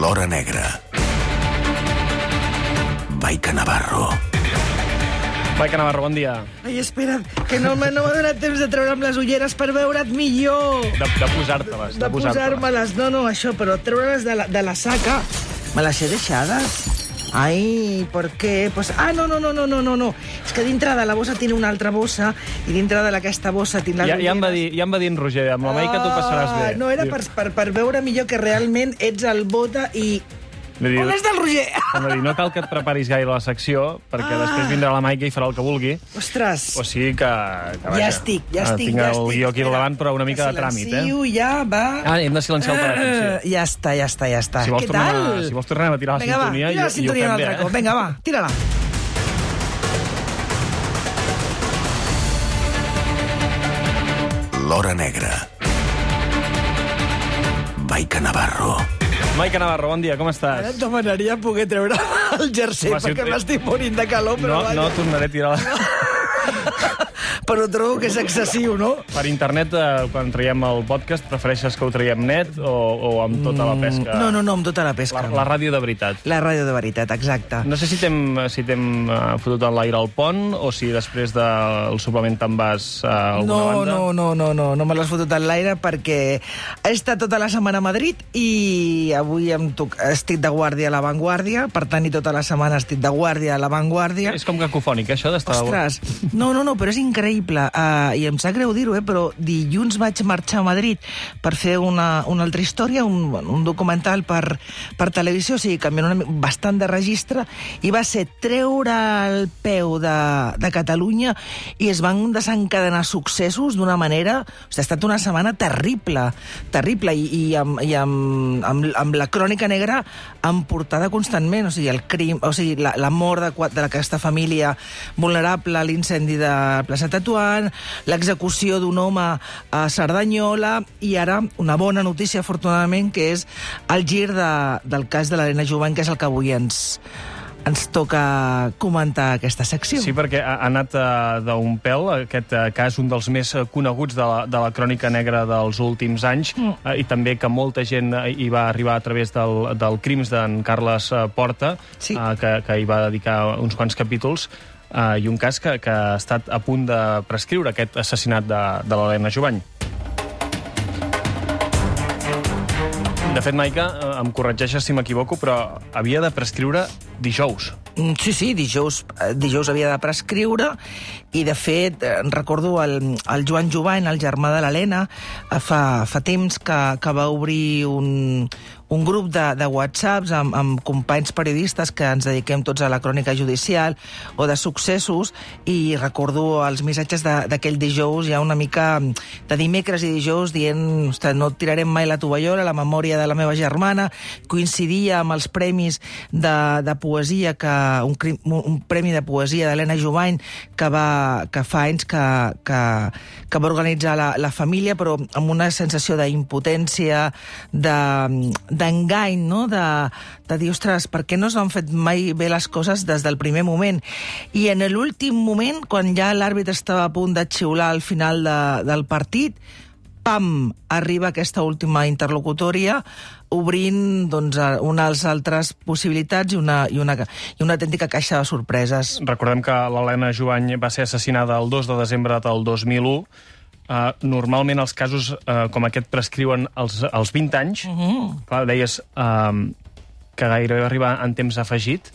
L'Hora Negra. Maica Navarro. Maica Navarro, bon dia. Ai, espera't, que no m'ha donat temps de treure'm les ulleres per veure't millor. De posar-te-les. De posar-me-les. No, això, però treure-les de la saca. Me les he deixades. Ai, ¿por qué? Pues, no. És que dintre de la bossa tiene una altra bossa i dintre d'aquesta bossa tinc les ulleres. Ja em va dir en Roger, amb la Maica tu passaràs bé. No, era per veure millor que realment ets el Bota i... On és del Roger? No cal que et preparis gaire la secció, perquè després vindrà la Maica i farà el que vulgui. Ostres. O sigui que Ja estic. Tinc el guió aquí al davant, però una mica de tràmit, eh? Ja, va. Hem de silenciar el telèfon, sí. Ja està. Si vols Què tal? Si vols tornem a tirar la sintonia, tira la sintonia un altre cop. Vinga, va, tira-la. L'Hora Negra. Maica Navarro. Maica Navarro, bon dia, com estàs? Ara et demanaria poder treure el jersei, perquè m'estic morint de calor, però vaja. No tornaré a tirar la... Però trobo que és excessiu, no? Per internet, quan traiem el podcast, prefereixes que ho traiem net o amb tota la pesca? No, amb tota la pesca. La ràdio de veritat. La ràdio de veritat, exacte. No sé si t'hem fotut en l'aire al pont o si després del suplement te'n vas a alguna banda. No me l'has fotut en l'aire perquè he estat tota la setmana a Madrid i avui estic de guàrdia a La Vanguardia, per tant, i tota la setmana estic de guàrdia a La Vanguardia. És com cacofònic, això d'estar... Ostres, no, però és increïble. I em sap greu dir-ho, però dilluns vaig marxar a Madrid per fer una altra història, un documental per televisió, o sigui, canviant bastant de registre, i va ser treure el peu de Catalunya i es van desencadenar successos d'una manera... O sigui, ha estat una setmana terrible, i amb la crònica negra en portada constantment, o sigui, el crim, o sigui, la mort d'aquesta família vulnerable, l'incendi de Plaça Tetuan, l'execució d'un home a Cerdanyola i ara una bona notícia, afortunadament, que és el gir del cas de l'Helena Jubany, que és el que avui ens toca comentar aquesta secció. Sí, perquè ha anat d'un pèl, aquest cas, un dels més coneguts de la crònica negra dels últims anys, i també que molta gent hi va arribar a través del Crims d'en Carles Porta, que hi va dedicar uns quants capítols, i un cas que ha estat a punt de prescriure, aquest assassinat de l'Helena Jubany. De fet, Maica, em corregeixes si m'equivoco, però havia de prescriure dijous. Sí, dijous havia de prescriure i, de fet, recordo el Joan Jubany, el germà de l'Helena, fa temps que va obrir un grup de whatsapps amb companys periodistes que ens dediquem tots a la crònica judicial o de successos, i recordo els missatges d'aquell dijous, ja una mica de dimecres i dijous, dient, ostres, no tirarem mai la tovallola, la memòria de la meva germana, coincidia amb els premis de poesia, un premi de poesia d'Helena Jubany que fa anys que va organitzar la família, però amb una sensació d'impotència, d'engany, no? De dir, ostres, per què no s'han fet mai bé les coses des del primer moment? I en l'últim moment, quan ja l'àrbitre estava a punt de xiular al final del partit, pam, arriba aquesta última interlocutòria, obrint unes altres possibilitats i una autèntica caixa de sorpreses. Recordem que l'Helena Jubany va ser assassinada el 2 de desembre del 2001. Normalment els casos com aquest prescriuen als 20 anys. Clar, deies que gairebé va arribar en temps afegit.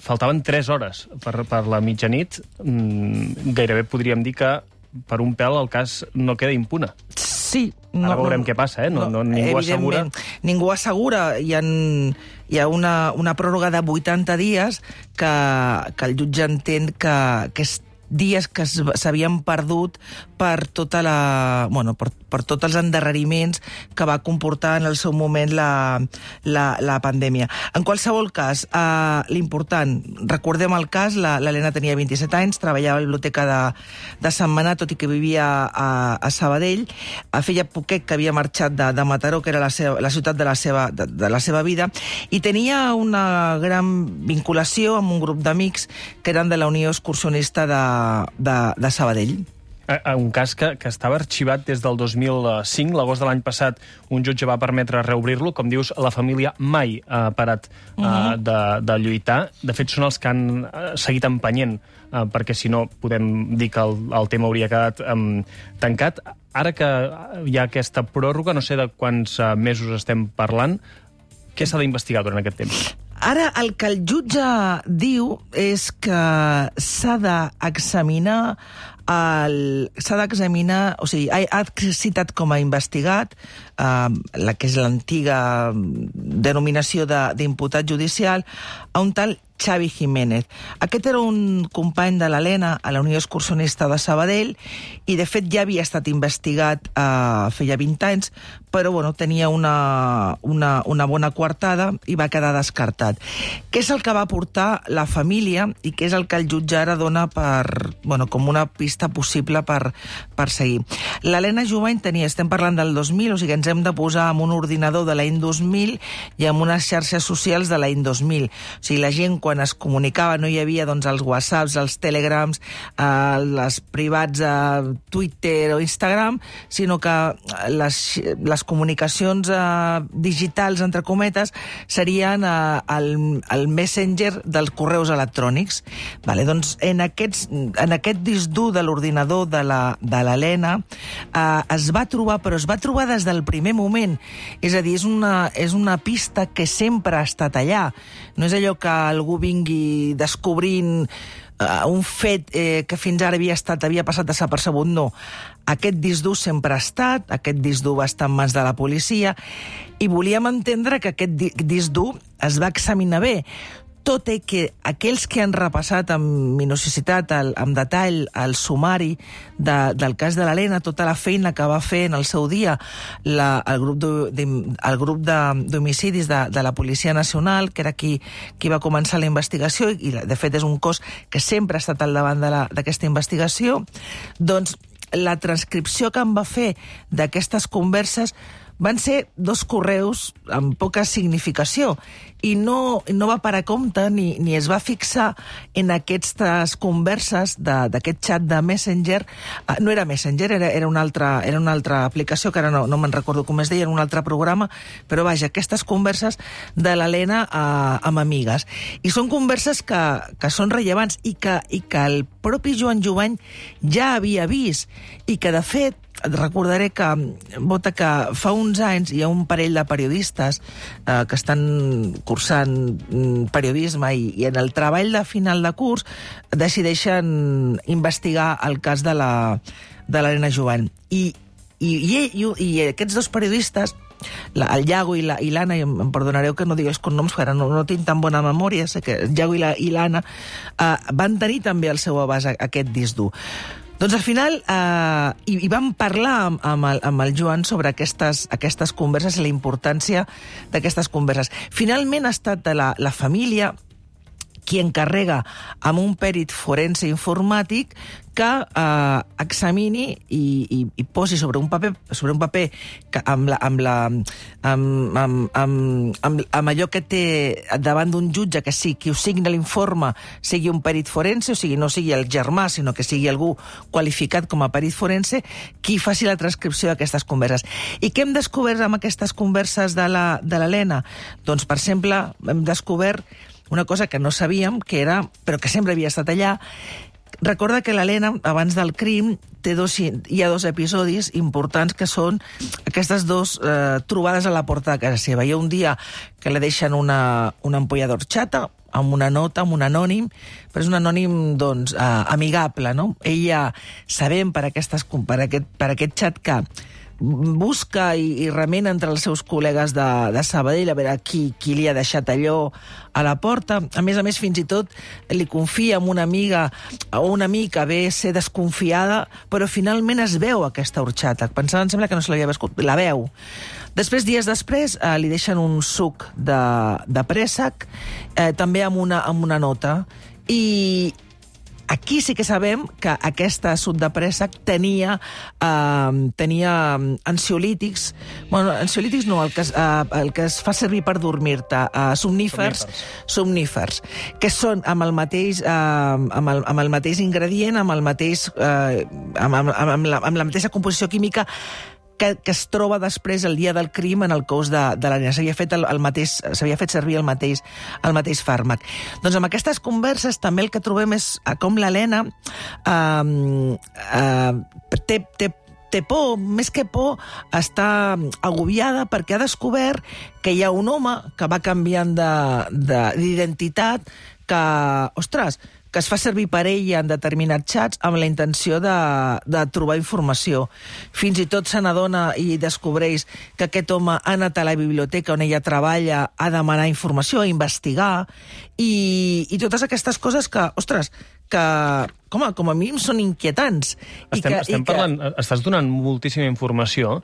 Faltaven 3 hores per la mitjanit. Gairebé podríem dir que per un pèl el cas no queda impune. Sí. Ara veurem què passa, ningú assegura. Ningú assegura. Hi ha una pròrroga de 80 dies que el jutge entén que és dies que s'havien perdut per tots els endarreriments que va comportar en el seu moment la pandèmia. En qualsevol cas, l'important, recordem el cas, l'Helena tenia 27 anys, treballava a la biblioteca de Sentmenat, tot i que vivia a Sabadell, feia poquet que havia marxat de Mataró, que era la ciutat de la seva vida, i tenia una gran vinculació amb un grup d'amics que eren de la Unió Excursionista de Sabadell. Un cas que estava arxivat des del 2005. L'agost de l'any passat un jutge va permetre reobrir-lo. Com dius, la família mai ha parat de lluitar. De fet, són els que han seguit empenyent, perquè si no podem dir que el tema hauria quedat tancat. Ara que hi ha aquesta pròrroga, no sé de quants mesos estem parlant, què s'ha d'investigar durant aquest temps? Ara, el que el jutge diu és que s'ha d'examinar o sigui, ha citat com a investigat la que és l'antiga denominació d'imputat judicial a un tal Xavi Jiménez. Aquest era un company de l'Helena a la Unió Excursionista de Sabadell i, de fet, ja havia estat investigat feia 20 anys, però bueno, tenia una bona coartada i va quedar descartat. Què és el que va portar la família i què és el que el jutge ara dona com una pista possible per seguir? L'Helena Jovany estem parlant del 2000, o sigui, ens hem de posar en un ordinador de l'any 2000 i en unes xarxes socials de l'any 2000. O sigui, la gent quan es comunicava no hi havia els whatsapps, els telegrams, les privats a Twitter o Instagram, sinó que les comunicacions digitals, entre cometes, serien el messenger dels correus electrònics. Vale, doncs en aquest disc dur de l'ordinador de l'Helena es va trobar, però es va trobar des del primer moment. És a dir, és una pista que sempre ha estat allà. No és allò que algú vingui descobrint un fet que fins ara havia passat desapercebut, no. Aquest disc dur sempre ha estat, aquest disc dur va estar en mans de la policia, i volíem entendre que aquest disc dur es va examinar bé, tot i que aquells que han repassat amb minuciositat, amb detall, el sumari del cas de l'Helena, tota la feina que va fer en el seu dia el grup d'homicidis de la Policia Nacional, que era qui va començar la investigació, i de fet és un cos que sempre ha estat al davant d'aquesta investigació, doncs la transcripció que em va fer d'aquestes converses van ser 2 correus amb poca significació i no va parar compte ni es va fixar en aquestes converses d'aquest xat de Messenger. No era Messenger, era una altra aplicació, que ara no me'n recordo com es deia, era un altre programa, però vaja, aquestes converses de l'Helena amb amigues. I són converses que són rellevants i que el propi Joan Jovany ja havia vist i que, de fet, et recordaré que fa uns anys hi ha un parell de periodistes que estan cursant periodisme i en el treball de final de curs decideixen investigar el cas de l'Helena Jovany. I aquests 2 periodistes, el Iago i l'Anna, i em perdonareu que no digués cognoms, perquè no tinc tan bona memòria, sé que el Iago i l'Anna van tenir també al seu abast aquest disc dur. Doncs al final hi vam parlar amb el Joan sobre aquestes converses i la importància d'aquestes converses. Finalment ha estat la família qui encarrega amb un pèrit forense informàtic que examini i posi sobre un paper que amb allò que té davant d'un jutge, que sí, qui ho signa l'informe sigui un pèrit forense, o sigui, no sigui el germà, sinó que sigui algú qualificat com a pèrit forense, qui faci la transcripció d'aquestes converses. I què hem descobert amb aquestes converses de l'Helena? Doncs, per exemple, hem descobert una cosa que no sabíem, però que sempre havia estat allà. Recorda que l'Helena, abans del crim, hi ha 2 episodis importants que són aquestes 2 trobades a la porta de casa seva. Hi ha un dia que le deixen una ampolla d'horchata amb una nota, amb un anònim, però és un anònim, doncs, amigable, no? Ella, sabem per aquest xat que busca i remena entre els seus col·legues de Sabadell a veure qui li ha deixat allò a la porta. A més, fins i tot li confia amb una amiga o un amic que ve ser desconfiada, però finalment es veu aquesta horchata. Pensava, em sembla que no se l'havia viscut, la veu. Després, dies després, li deixen un suc de préssec, també amb una nota. I Aquí sí que sabem que aquesta sud de préssec tenia ansiolítics, bueno, ansiolítics no, el que es fa servir per dormir-te, somnífers, que són amb el mateix ingredient, amb la mateixa composició química que es troba després el dia del crim en el cos de la nena. S'havia fet servir el mateix fàrmac. Doncs amb aquestes converses també el que trobem és com l'Helena té por, més que por, està agobiada perquè ha descobert que hi ha un home que va canviant d'identitat, que, ostres, que es fa servir per ella en determinats xats amb la intenció de trobar informació. Fins i tot se n'adona i descobreix que aquest home ha anat a la biblioteca on ella treballa a demanar informació, a investigar, i totes aquestes coses que, ostres, que com a mínim són inquietants. Estàs donant moltíssima informació.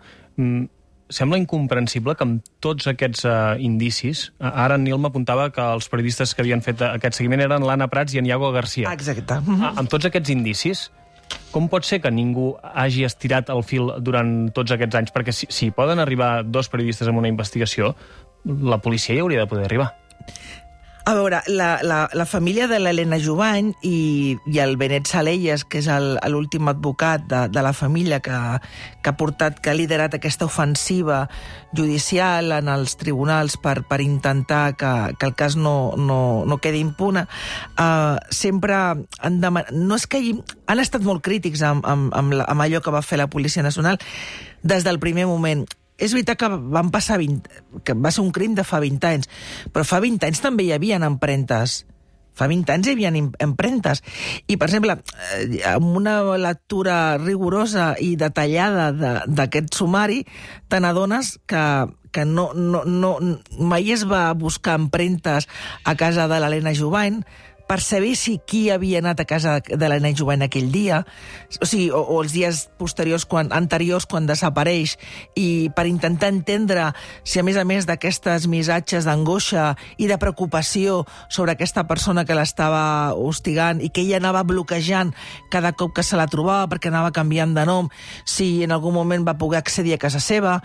Sembla incomprensible que amb tots aquests indicis, ara en Nil m'apuntava que els periodistes que havien fet aquest seguiment eren l'Anna Prats i en Iago Garcia. Exacte. Amb tots aquests indicis, com pot ser que ningú hagi estirat el fil durant tots aquests anys? Perquè si poden arribar 2 periodistes amb una investigació, la policia hi hauria de poder arribar. A veure, la família de l'Helena Jubany i el Benet Salellas, que és l'últim advocat de la família que ha liderat aquesta ofensiva judicial en els tribunals per intentar que el cas no quedi impune, sempre han demanat... No és que han estat molt crítics amb allò que va fer la Policia Nacional des del primer moment. És veritat que que va ser un crim de fa 20 anys, però fa 20 anys també hi havia empremtes. Fa 20 anys hi havia empremtes. I, per exemple, amb una lectura rigorosa i detallada d'aquest sumari, te n'adones que mai es va buscar empremtes a casa de l'Helena Jubany per saber qui havia anat a casa de l'Helena Jubany aquell dia, o els dies anteriors quan desapareix, i per intentar entendre si, a més d'aquestes missatges d'angoixa i de preocupació sobre aquesta persona que l'estava hostigant i que ella anava bloquejant cada cop que se la trobava perquè anava canviant de nom, si en algun moment va poder accedir a casa seva...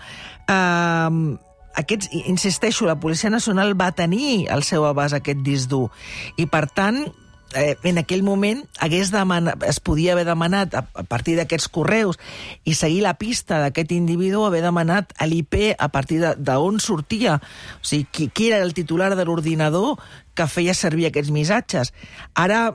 Insisteixo, la Policia Nacional va tenir al seu abast aquest disc dur i, per tant, en aquell moment es podia haver demanat, a partir d'aquests correus i seguir la pista d'aquest individu, haver demanat a l'IP a partir d'on sortia, o sigui, qui era el titular de l'ordinador que feia servir aquests missatges. Ara,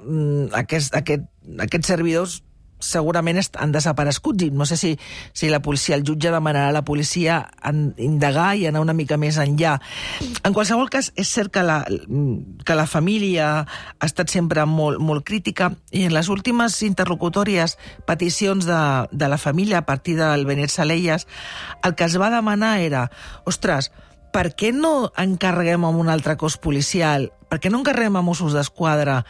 aquests servidors segurament han desaparegut, i no sé si la policia, el jutge demanarà a la policia indagar i anar una mica més enllà. En qualsevol cas, és cert que la família ha estat sempre molt, molt crítica, i en les últimes interlocutòries, peticions de la família a partir del Benet Salellas, el que es va demanar era, ostres, per què no encarreguem a un altre cos policial, per què no encarreguem a Mossos d'Esquadra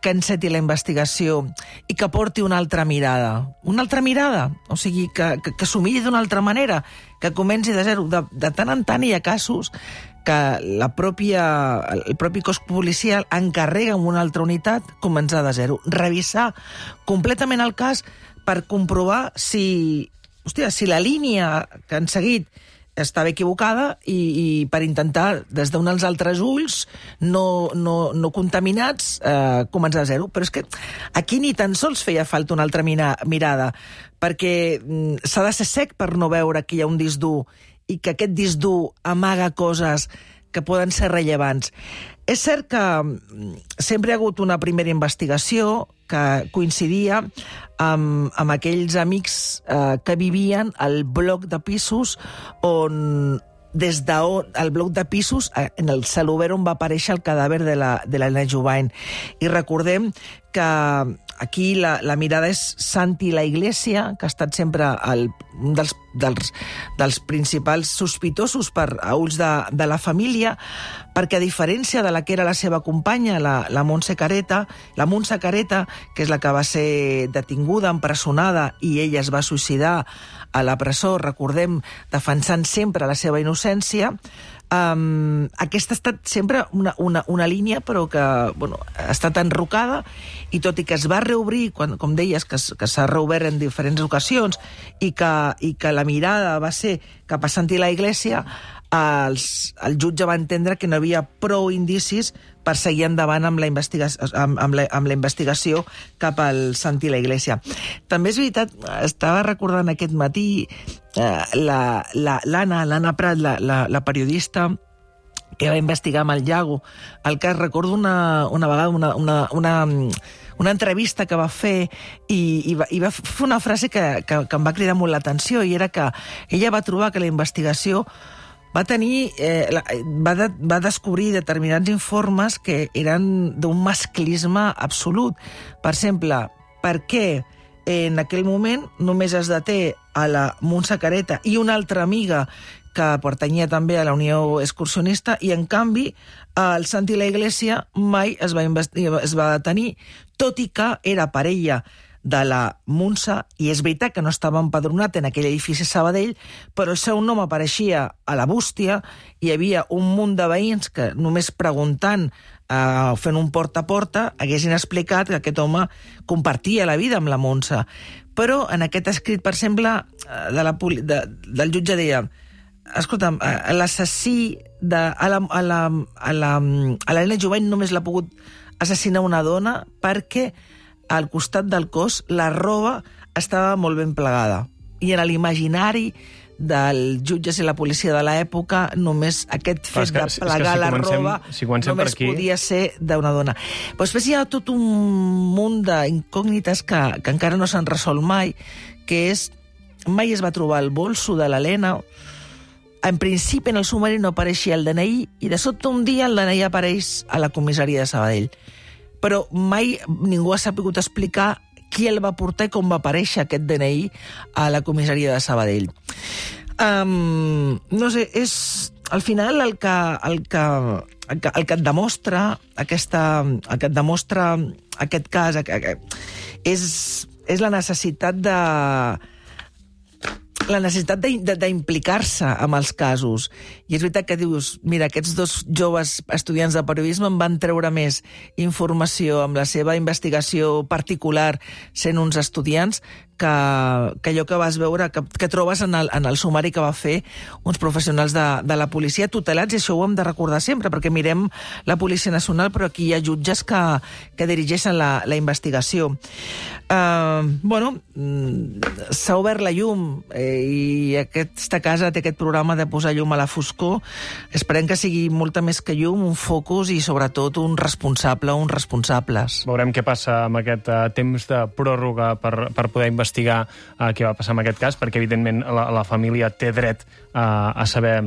que enceti la investigació i que porti una altra mirada. Una altra mirada, o sigui, que s'ho miri d'una altra manera, que comenci de zero. De tant en tant hi ha casos que el propi cos policial encarrega amb una altra unitat començar de zero. Revisar completament el cas per comprovar si la línia que han seguit estava equivocada i per intentar, des d'uns altres ulls, no contaminats, començar a zero. Però és que aquí ni tan sols feia falta una altra mirada, perquè s'ha de ser sec per no veure que hi ha un disc dur i que aquest disc dur amaga coses que poden ser rellevants. És cert que sempre hi ha hagut una primera investigació que coincidia amb aquells amics que vivien al bloc de pisos on el bloc de pisos, en el celobert on va aparèixer el cadàver de l'Helena Jubany. I recordem que aquí la mirada és Santi la Iglesia, que ha estat sempre un dels principals sospitosos a ulls de la família, perquè a diferència de la que era la seva companya, la Montse Careta, que és la que va ser detinguda, empresonada, i ella es va suïcidar a la presó, recordem, defensant sempre la seva innocència, Aquesta ha estat sempre una línia, però que ha estat enrocada, i tot i que es va reobrir, com deies, que s'ha reobert en diferents ocasions, i que la mirada va ser cap a Santi la Iglesia, el jutge va entendre que no hi havia prou indicis per seguir endavant amb la investigació cap al Santi la Iglesia. També és veritat, estava recordant aquest matí l'Anna Prat, la periodista que va investigar amb el Iago el cas. Recordo una vegada una entrevista que va fer i va fer una frase que em va cridar molt l'atenció, i era que ella va trobar que la investigació va descobrir determinats informes que eren d'un masclisme absolut. Per exemple, per què en aquell moment només es deté a la Montse Careta i una altra amiga que pertanyia també a la Unió Excursionista, i en canvi el Santi la Iglesia mai es va detenir, tot i que era parella de la Montse, i és veritat que no estava empadronat en aquell edifici Sabadell, però el seu nom apareixia a la bústia, i hi havia un munt de veïns que només preguntant, fent un porta a porta, haguessin explicat que aquest home compartia la vida amb la Montse. Però en aquest escrit, per exemple, del jutge deia: escolta'm, l'assassí a l'Helena Jovany només l'ha pogut assassinar una dona perquè al costat del cos la roba estava molt ben plegada. I en l'imaginari dels jutges i la policia de l'època, només aquest fet de plegar la roba només podia ser d'una dona. Però després hi ha tot un munt d'incògnites que encara no s'han resolt mai, que és: mai es va trobar el bolso de l'Helena. En principi, en el sumari no apareixia el DNI, i de sobte un dia el DNI apareix a la comissaria de Sabadell. Però mai ningú ha sabut explicar qui el va portar i com va aparèixer aquest DNI a la comissaria de Sabadell. No sé, és al final el que et demostra aquest cas és la necessitat d'implicar-se amb els casos. I és veritat que dius, mira, aquests dos joves estudiants de periodisme en van treure més informació amb la seva investigació particular sent uns estudiants que allò que vas veure, que trobes en el sumari que va fer uns professionals de la policia tutelats, i això ho hem de recordar sempre, perquè mirem la Policia Nacional, però aquí hi ha jutges que dirigeixen la investigació. S'ha obert la llum, i aquesta casa té aquest programa de posar llum a la foscor. Esperem que sigui molta més que llum, un focus i sobretot un responsable o uns responsables. Veurem què passa amb aquest temps de pròrroga per poder investigar què va passar amb aquest cas, perquè evidentment la família té dret a saber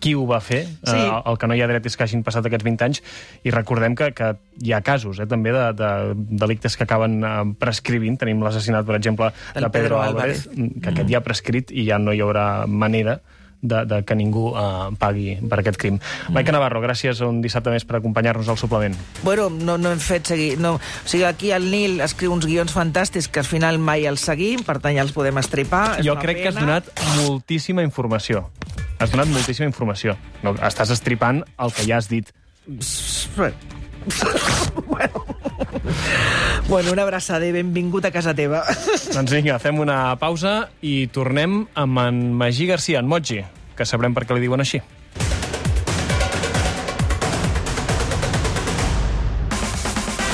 qui ho va fer. Sí. El que no hi ha dret és que hagin passat aquests 20 anys, i recordem que hi ha casos també de delictes que acaben prescrivint. Tenim l'assassinat, per exemple, de Pedro Álvarez, que aquest ja ha prescrit i ja no hi haurà manera de que ningú pagui per aquest crim. Maica Navarro, gràcies un dissabte més per acompanyar-nos al suplement. Bueno, no hem fet seguir... O sigui, aquí el Nil escriu uns guions fantàstics que al final mai els seguim, per tant ja els podem estripar. Jo crec que has donat moltíssima informació. Has donat moltíssima informació. No, estàs estripant el que ja has dit. Bueno, una abraçada i benvingut a casa teva. Doncs vinga, fem una pausa i tornem amb en Magí Garcia, en Moji, que sabrem per què li diuen així.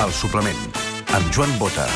El suplement, amb Joan Bota.